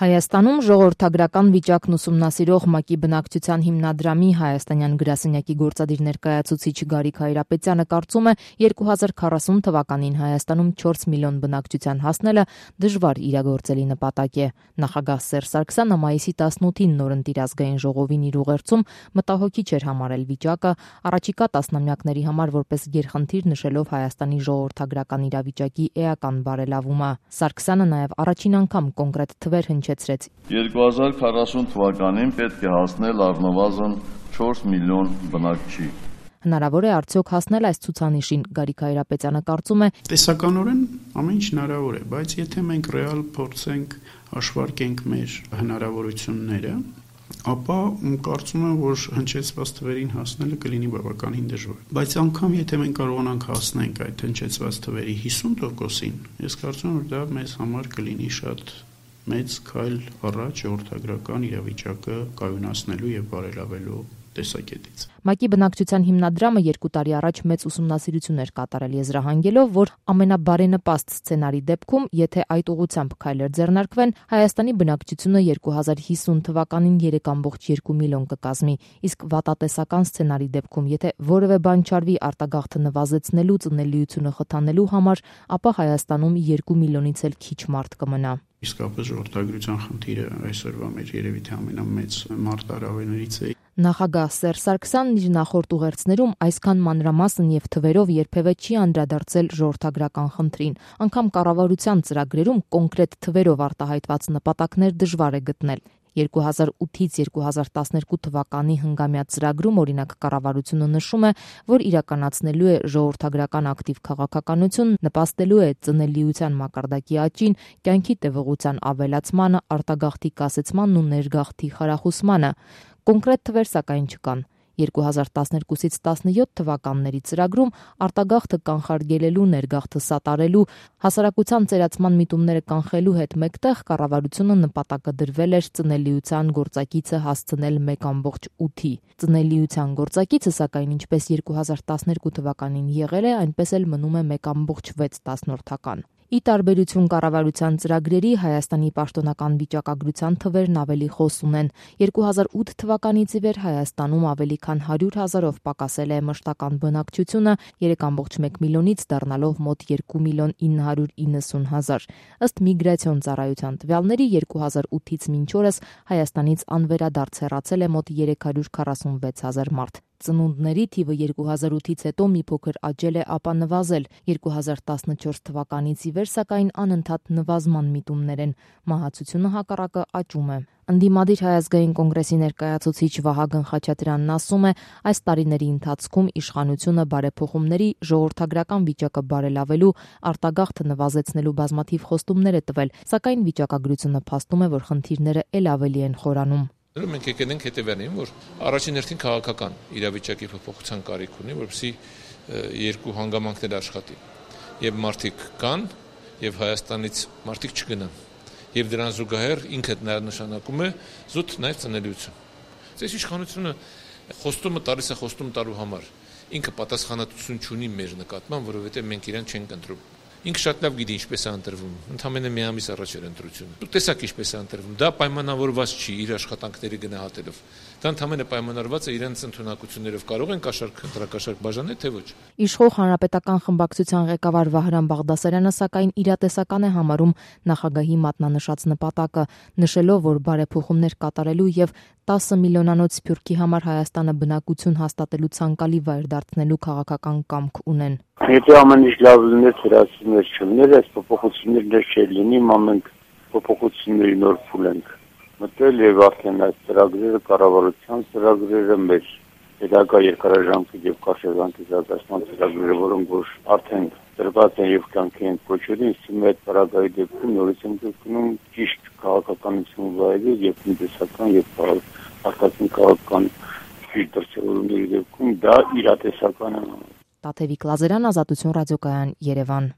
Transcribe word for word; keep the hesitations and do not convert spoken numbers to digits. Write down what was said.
Հայաստանում ժողովրդագրական վիճակն ուսումնասիրող ՄԱԿ-ի բնակչության հիմնադրամի հայաստանյան գրասենյակի գործադիր ներկայացուցիչ Գարիկ Հայրապետյանը կարծում է, երկու հազար քառասուն թվականին Հայաստանում չորս միլիոն բնակչության հասնելը դժվար իրագործելի նպատակ է։ Նախագահ Սերժ Սարգսյանը մայիսի տասնութին նորընտիր ազգային ժողովին իր ուղերձում մտահոգիչ էր համարել վիճակը, առաջիկա տասնամյակների համար որպես գերխնդիր նշելով Հայաստանի ժողովրդագրական իրավիճակի էական բարելավումը։ Սարգսյանը նաև առաջին անգամ կոնկրետ թվեր հնչեցրեց։ երկու հազար քառասուն թվականին պետք է հասնել առնվազն չորս միլիոն բնակչի։ Հնարավոր է արդյոք հասնել այս ցուցանիշին, Գարիկ Հայրապետյանը կարծում է. Տեսականորեն ամեն ինչ հնարավոր է, բայց եթե մենք ռեալ փորձենք հաշվարկենք մեր հնարավորությունները, ապա կարծում եմ, որ հնչեցված թվերին հասնելը կլինի բավականին դժվար։ Բայց անգամ եթե մենք կարողանանք հասնենք այդ հնչեցված թվերի հիսուն տոկոսին, ես կարծում եմ, որ դա մեզ համար կլինի շատ մեծ քայլ առաջ ժողովրդագրական իրավիճակը կայունացնելու եւ բարելավելու տեսակետից։ ՄԱԿ-ի բնակչության հիմնադրամը երկու տարի առաջ մեծ ուսումնասիրություն էր կատարել եզրահանգելով, որ ամենաբարենպաստ սցենարի դեպքում, եթե այդ ուղղությամբ քայլեր ձեռնարկվեն, Հայաստանի բնակչությունը երկու հազար հիսուն թվականին երեք կόμma երկու միլիոն կկազմի, իսկ վատատեսական սցենարի դեպքում, եթե որևէ բան չարվի արտագաղթը նվազեցնելու, ծնելիությունը խթանելու համար, ապա Հայաստանում երկու միլիոնից էլ քիչ մարդ կմնա։ Իսկապես ժողովրդագրության խնդիրը այսօրվա մեր երևի թե ամենամեծ մարտահրավերներից է։ Նախագահ Սերժ Սարգսյանն իր նախորդ ուղերձներում այսքան մանրամասն եւ թվերով երբևէ չի անդրադարձել ժողովրդագրական խնդրին։ Անգամ կառավարության ծրագրերում կոնկրետ թվերով արտահայտված նպատակներ դժվար է գտնել։ երկու հազար ութից երկու հազար տասներկու թվականի հնգամյա ծրագրում օրինակ կառավարությունը նշում է, որ իրականացնելու է ժողովրդագրական ակտիվ քաղաքականություն, նպաստելու է ծնելիության մակարդակի աճին, կյանքի տևողության ավելացմանը, արտագաղթի կասեցմանն ու ներգաղթի խրախուսմանը։ Կոնկրետ թվեր սակայն չկան։ երկու հազար տասներկուսից տասնյոթ թվականների ծրագրում արտագաղթը կանխարգելելու, ներգաղթը սատարելու, հասարակության ծերացման միտումները կանխելու հետ մեկտեղ կառավարությունը նպատակը դրվել էր ծնելիության գործակիցը հասցնել մեկ կόμma ութի։ Ծնելիության գործակիցը սակայն ինչպես երկու հազար տասներկու թվականին եղել է, այնպես էլ մնում է մեկ կόμma վեց։ Ի տարբերություն կառավարության ծրագրերի, Հայաստանի պաշտոնական վիճակագրության թվերն ավելի խոս ունեն։ երկու հազար ութ թվականից ի վեր Հայաստանում ավելի քան հարյուր հազարով պակասել է մշտական բնակչությունը, երեք կόμma մեկ միլիոնից դառնալով մոտ երկու միլիոն ինը հարյուր իննսուն հազար։ Ըստ միգրացիոն ծառայության տվյալների երկու հազար ութից մինչ օրս Հայաստանից անվերադարձ հեռացել է մոտ երեք հարյուր քառասունվեց հազար մարդ։ Ծնունդների թիվը երկու հազար ութից հետո մի փոքր աճել է, ապա նվազել։ երկու հազար տասնչորս թվականից ի վեր սակայն անընդհատ նվազման միտումներ են։ Մահացությունը հակառակը աճում է։ Ընդդիմադիր Հայ ազգային կոնգրեսի ներկայացուցիչ Վահագն Խաչատրյանն ասում է, այս տարիների ընթացքում իշխանությունը բարեփոխումների, ժողովրդագրական վիճակը բարելավելու, արտագաղթը նվազեցնելու բազմաթիվ խոստումներ է տվել, սակայն վիճակագրությունը փաստում է, որ խնդիրները ել ավելի են խորանում։ Մենք եկել ենք հետևյալին, որ առաջին հերթին քաղաքական իրավիճակի փոփոխության կարիք ունի, որպեսզի երկու հանգամանքներ աշխատի։ Եվ մարդիկ կան, եւ Հայաստանից մարդիկ չգնան։ Եվ դրան զուգահեռ ինքը նշանակում է զուտ նաև ծնելիություն։ Այս իշխանությունը խոստումը տալիս է խոստում տալու համար։ Ինքը պատասխանատվություն չունի մեր նկատմամբ, որովհետեւ մենք իրեն չենք ընտրում։ Ինքը շատ լավ գիտի ինչպես է ընտրվում։ Ընդամենը մի ամիս առաջ էր ընտրությունը։ Դուք տեսաք ինչպես է ընտրվում։ Դա պայմանավորված չի իր աշխատանքների գնահատելով։ Դա ընդամենը պայմանավորված է իրենց ընդունակություններով։ Կարող են կաշառք, ընտրակաշառք բաժանել, թե ոչ։ Իշխող հանրապետական խմբակցության ղեկավար Վահրամ Բաղդասարյանը սակայն իրատեսական է համարում նախագահի մատնանշած նպատակը, նշելով, որ բարեփոխումներ կատարելու եւ տասը միլիոնանոց սփյուռքի համար Հայաստանը բնակություն հաստատելու ցանկալի վայր դարձնելու քաղաքական կամք ունեն։ Եթե ամեն ինչ լավ լիներ, ծրացումներ չլիներ, այս փոփոխությունները չէր լինի, մենք փոփոխությունների նոր փուլ ենք մտել եւ արդեն այս ծրագրերը կառավարության ծրագրերը մեր հետագա երկարաժամկետ եւ կարճաժամկետ զարգացման ծրագրերը, որոնք որ արդեն դրված են եւ կյանքի են փոփոխել, ինձ այդ параգայի դեպքում նորից եմ գտնում ճիշտ քաղաքականություն վայրի եւ տնտեսական եւ արտաքին քաղաքական դրսևորումների դեպքում դա իրատեսական է։ Տաթևիկ Լազարյան, Ազատություն ռադիոկայան, Երևան։